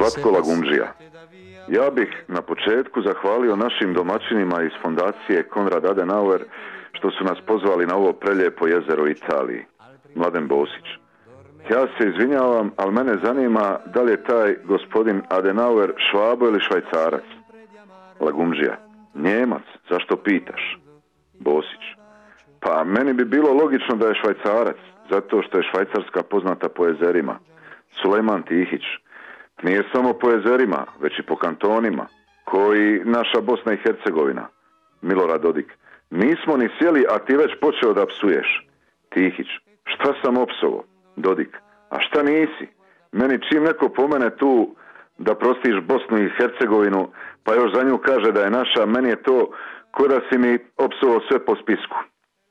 Zlatko Lagumdžija. Ja bih na početku zahvalio našim domaćinima iz fondacije Konrad Adenauer što su nas pozvali na ovo prelijepo jezero u Italiji. Mladen Bosić. Ja se izvinjavam, ali mene zanima da li je taj gospodin Adenauer Švabo ili Švajcarac. Lagumdžija. Njemac, zašto pitaš? Bosić. Pa meni bi bilo logično da je Švajcarac, zato što je Švajcarska poznata po jezerima. Sulejman Tihić. Nije samo po jezerima, već i po kantonima, koji naša Bosna i Hercegovina. Milorad Dodik. Nismo ni sjeli, a ti već počeo da psuješ. Tihić. Šta sam opsovo? Dodik. A šta nisi? Meni čim neko pomene tu da prostiš Bosnu i Hercegovinu, pa još za nju kaže da je naša, meni je to ko da si mi opsovo sve po spisku.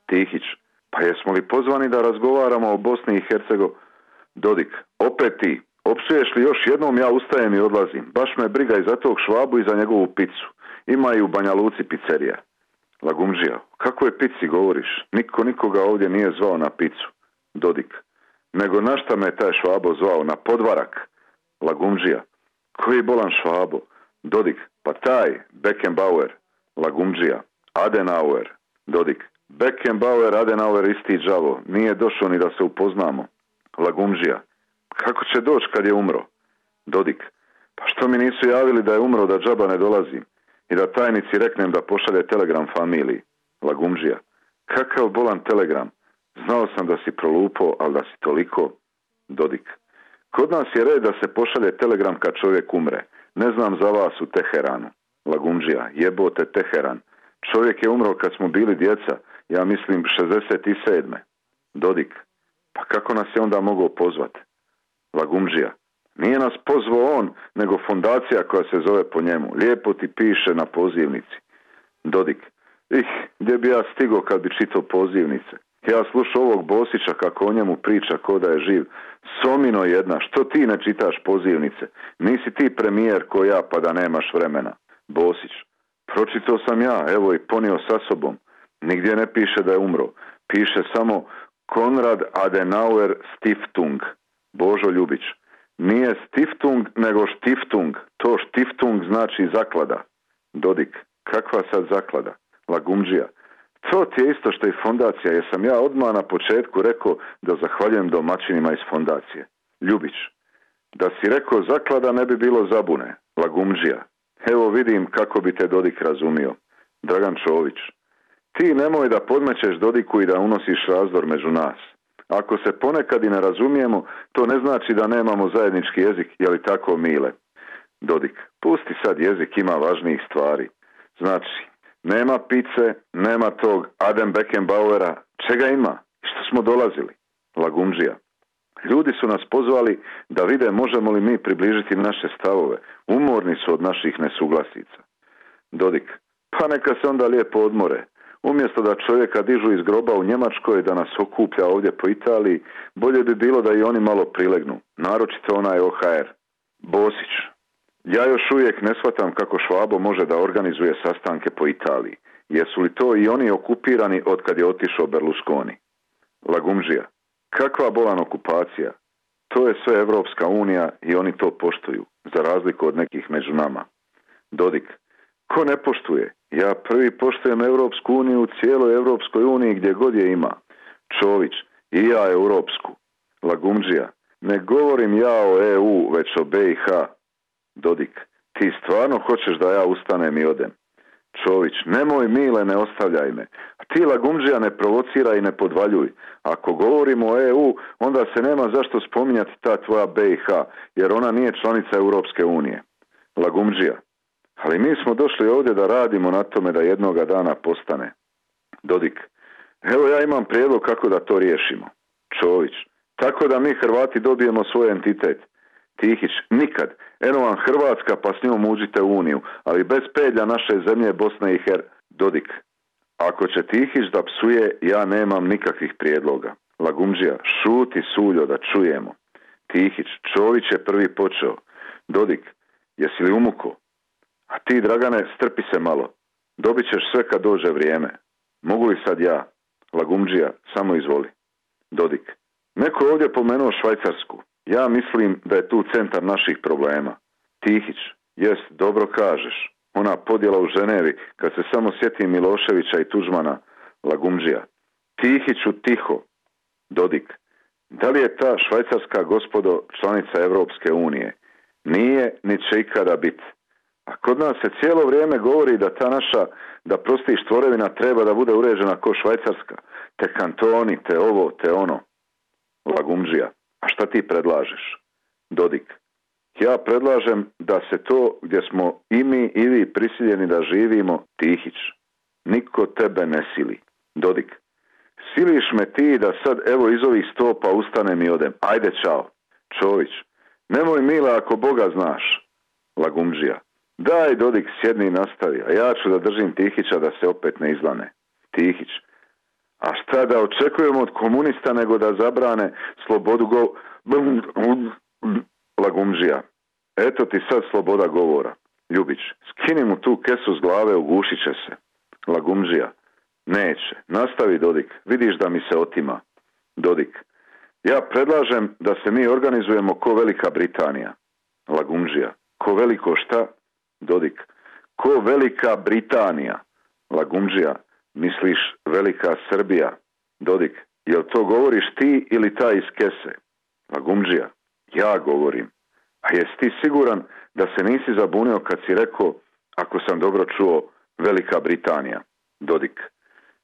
Tihić. Pa jesmo li pozvani da razgovaramo o Bosni i Hercegovini? Dodik. Opet ti. Opsuješ li još jednom, ja ustajem i odlazim. Baš me briga i za tog Švabu i za njegovu picu. Ima i u Banja Luci pizzerija. Lagumdžija. Kako je pici govoriš? Niko nikoga ovdje nije zvao na picu. Dodik. Nego na šta me taj Švabo zvao? Na podvarak. Lagumdžija. Koji bolan Švabo? Dodik. Pa taj Beckenbauer. Lagumdžija. Adenauer. Dodik. Beckenbauer, Adenauer isti đavo. Nije došao ni da se upoznamo. Lagumdžija. Kako će doći kad je umro? Dodik. Pa što mi nisu javili da je umro, da džaba ne dolazim i da tajnici reknem da pošalje telegram familiji? Lagumdžija. Kakav bolan telegram? Znao sam da si prolupo, ali da si toliko. Dodik. Kod nas je red da se pošalje telegram kad čovjek umre. Ne znam za vas u Teheranu. Lagumdžija. Jebote Teheran. Čovjek je umro kad smo bili djeca, ja mislim 67. Dodik. Pa kako nas je onda mogao pozvati? Lagumdžija. Nije nas pozvao on, nego fondacija koja se zove po njemu. Lijepo ti piše na pozivnici. Dodik. Gdje bi ja stigao kad bi čitao pozivnice? Ja slušao ovog Bosića kako o njemu priča ko da je živ. Somino jedna, što ti ne čitaš pozivnice? Nisi ti premijer ko ja pa da nemaš vremena. Bosić. Pročitao sam ja, evo i ponio sa sobom. Nigdje ne piše da je umro. Piše samo Konrad Adenauer Stiftung. Božo Ljubić. Nije Stiftung, nego Stiftung. To Stiftung znači zaklada. Dodik. Kakva sad zaklada? Lagumdžija. To ti je isto što i fondacija, jer sam ja odmah na početku rekao da zahvaljujem domaćinima iz fondacije. Ljubić. Da si rekao zaklada ne bi bilo zabune. Lagumdžija. Evo vidim kako bi te Dodik razumio. Dragan Čović. Ti nemoj da podmećeš Dodiku i da unosiš razdor među nas. Ako se ponekad i ne razumijemo, to ne znači da nemamo zajednički jezik, je li tako, Mile? Dodik. Pusti sad jezik, ima važnijih stvari. Znači, nema pice, nema tog Aden Beckenbauera. Čega ima? Što smo dolazili? Lagumdžija. Ljudi su nas pozvali da vide možemo li mi približiti naše stavove. Umorni su od naših nesuglasica. Dodik. Pa neka se onda lijepo odmore. Umjesto da čovjeka dižu iz groba u Njemačkoj da nas okuplja ovdje po Italiji, bolje bi bilo da i oni malo prilegnu. Naročito onaj OHR. Bosić. Ja još uvijek ne shvatam kako Švabo može da organizuje sastanke po Italiji. Jesu li to i oni okupirani od kad je otišao Berlusconi? Lagumdžija. Kakva bolan okupacija? To je sve Evropska unija i oni to poštuju, za razliku od nekih među nama. Dodik. Ko ne poštuje? Ja prvi poštujem Evropsku uniju u cijeloj Evropskoj uniji gdje god je ima. Čović. I ja Europsku. Lagumdžija. Ne govorim ja o EU, već o BiH. Dodik. Ti stvarno hoćeš da ja ustanem i odem? Čović. Nemoj Mile, ne ostavljaj me. A ti Lagumdžija ne provocira i ne podvaljuj. Ako govorimo o EU, onda se nema zašto spominjati ta tvoja BiH, jer ona nije članica Europske unije. Lagumdžija. Ali mi smo došli ovdje da radimo na tome da jednoga dana postane. Dodik. Evo ja imam prijedlog kako da to riješimo. Čović. Tako da mi Hrvati dobijemo svoj entitet. Tihić. Nikad. Eno vam Hrvatska pa s njom uđite u Uniju, ali bez pedlja naše zemlje Bosne i Dodik. Ako će Tihić da psuje, ja nemam nikakvih prijedloga. Lagumdžija. Šuti Suljo da čujemo. Tihić. Čović je prvi počeo. Dodik. Jesi li umuko? A ti, Dragane, strpi se malo. Dobit ćeš sve kad dođe vrijeme. Mogu li sad ja? Lagumdžija, samo izvoli. Dodik. Neko ovdje pomenuo Švajcarsku. Ja mislim da je tu centar naših problema. Tihić, jest, dobro kažeš. Ona podjela u Ženevi, kad se samo sjetim Miloševića i Tuđmana, lagumdžija. Tihiću tiho. Dodik, da li je ta Švajcarska, gospodo, članica Evropske unije? Nije, ni će ikada biti. A kod nas se cijelo vrijeme govori da ta naša, da prostiš tvorevina treba da bude uređena ko Švajcarska. Te kantoni, te ovo, te ono. Lagumdžija, a šta ti predlažeš? Dodik, ja predlažem da se to gdje smo i mi i vi prisiljeni da živimo, Tihić. Niko tebe ne sili. Dodik, siliš me ti da sad evo iz ovih stopa ustanem i odem. Ajde, čao. Čović, nemoj Mila ako Boga znaš. Lagumdžija, daj Dodik sjedni i nastavi, a ja ću da držim Tihića da se opet ne izlane. Tihić, a šta da očekujemo od komunista nego da zabrane slobodu Lagumdžija, eto ti sad sloboda govora. Ljubić, skini mu tu kesu s glave, ugušit će se. Lagumdžija, neće, nastavi Dodik, vidiš da mi se otima. Dodik, ja predlažem da se mi organizujemo ko Velika Britanija. Lagumdžija, ko veliko šta? Dodik, ko Velika Britanija. Lagumdžija, misliš Velika Srbija? Dodik, jel to govoriš ti ili taj iz kese? Lagumdžija, ja govorim. A jesi ti siguran da se nisi zabunio kad si rekao, ako sam dobro čuo, Velika Britanija? Dodik,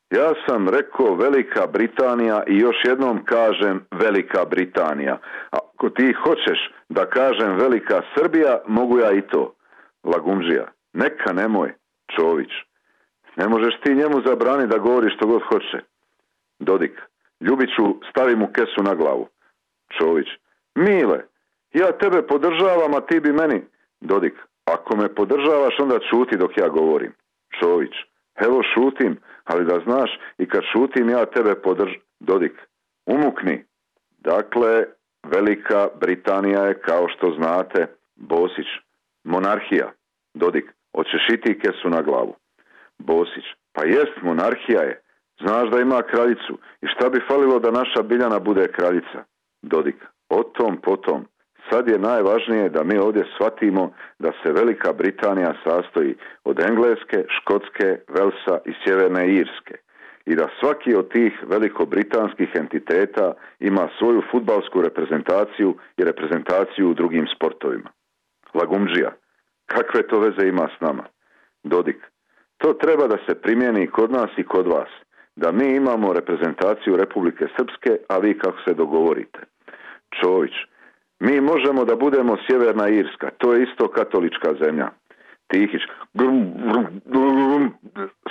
ja sam rekao Velika Britanija i još jednom kažem Velika Britanija. Ako ti hoćeš da kažem Velika Srbija, mogu ja i to. Lagumdžija, neka nemoj. Čović, ne možeš ti njemu zabraniti da govori što god hoće. Dodik, Ljubiću, stavi mu kesu na glavu. Čović, Mile, ja tebe podržavam, a ti bi meni. Dodik, ako me podržavaš, onda šuti dok ja govorim. Čović, evo šutim, ali da znaš, i kad šutim ja tebe Dodik, umukni. Dakle, Velika Britanija je, kao što znate, Bosić, monarhija. Dodik, hoćeš i ti kesu na glavu. Bosić, pa jest, monarhija je. Znaš da ima kraljicu. I šta bi falilo da naša Biljana bude kraljica? Dodik, o tom potom. Sad je najvažnije da mi ovdje shvatimo da se Velika Britanija sastoji od Engleske, Škotske, Velsa i Sjeverne Irske i da svaki od tih velikobritanskih entiteta ima svoju fudbalsku reprezentaciju i reprezentaciju u drugim sportovima. Lagumdžija, kakve to veze ima s nama? Dodik, to treba da se primijeni kod nas i kod vas, da mi imamo reprezentaciju Republike Srpske, a vi kako se dogovorite. Čović, mi možemo da budemo Sjeverna Irska, to je isto katolička zemlja. Tihić,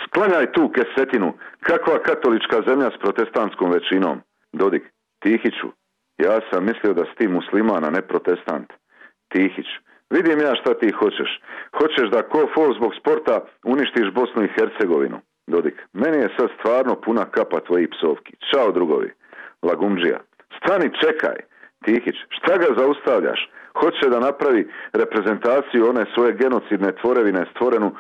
sklanjaj tu kesetinu, kakva katolička zemlja s protestantskom većinom? Dodik, Tihiću, ja sam mislio da si ti musliman, a ne protestant. Tihić, vidim ja šta ti hoćeš. Hoćeš da ko fol zbog sporta uništiš Bosnu i Hercegovinu. Dodik, meni je sad stvarno puna kapa tvojih psovki. Ćao drugovi. Lagumdžija, stani, čekaj. Tihić, šta ga zaustavljaš? Hoće da napravi reprezentaciju one svoje genocidne tvorevine stvorenu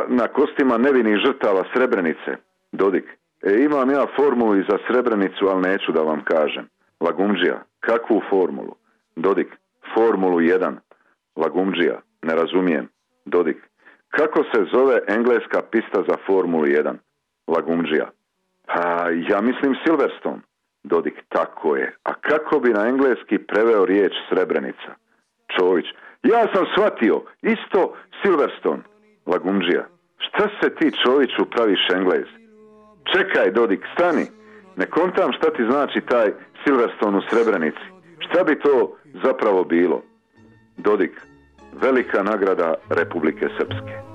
na kostima nevinih žrtava Srebrenice. Dodik, imam ja formulu i za Srebrenicu, ali neću da vam kažem. Lagumdžija, kakvu formulu? Dodik, formulu 1. Lagumdžija, ne razumijem. Dodik, kako se zove engleska pista za formulu 1? Lagumdžija, ja mislim Silverstone. Dodik, tako je. A kako bi na engleski preveo riječ Srebrenica? Čović, ja sam shvatio, isto Silverstone. Lagumdžija, šta se ti Čoviću praviš Englez? Čekaj, Dodik, stani. Ne kontam šta ti znači taj Silverstone u Srebrenici. Šta bi to zapravo bilo? Dodik, velika nagrada Republike Srpske.